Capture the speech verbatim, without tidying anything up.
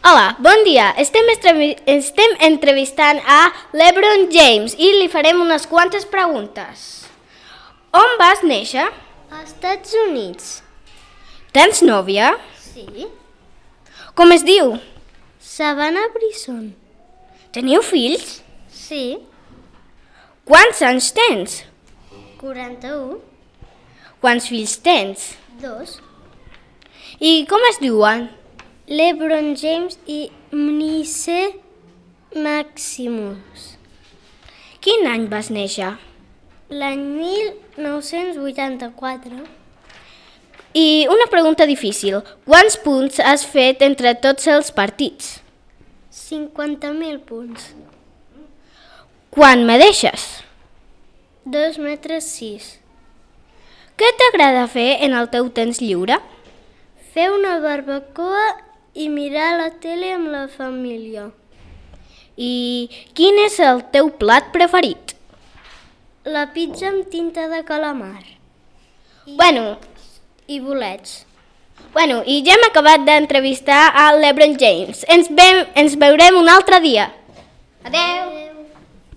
Hola, bon dia. Estem, estrevi- estem entrevistant a LeBron James i li farem unes quantes preguntes. On vas néixer? Als Estats Units. Tens nòvia? Sí. Com es diu? Savannah Brisson. Teniu fills? Sí. Quants anys tens? quaranta-u. Quants fills tens? Dos. I com es diuen? LeBron James i Mnice Maximus. Quin any vas néixer? L'any mil nou-cents vuitanta-quatre. I una pregunta difícil. Quants punts has fet entre tots els partits? cinquanta mil punts. Quan me deixes? dos metres sis. Què t'agrada fer en el teu temps lliure? Fer una barbacoa i mirar la tele amb la família. I quin és el teu plat preferit? La pizza amb tinta de calamar. I, Bueno, i bolets. bueno, i ja hem acabat d'entrevistar a LeBron James. Ens, ve, ens veurem un altre dia. Adeu!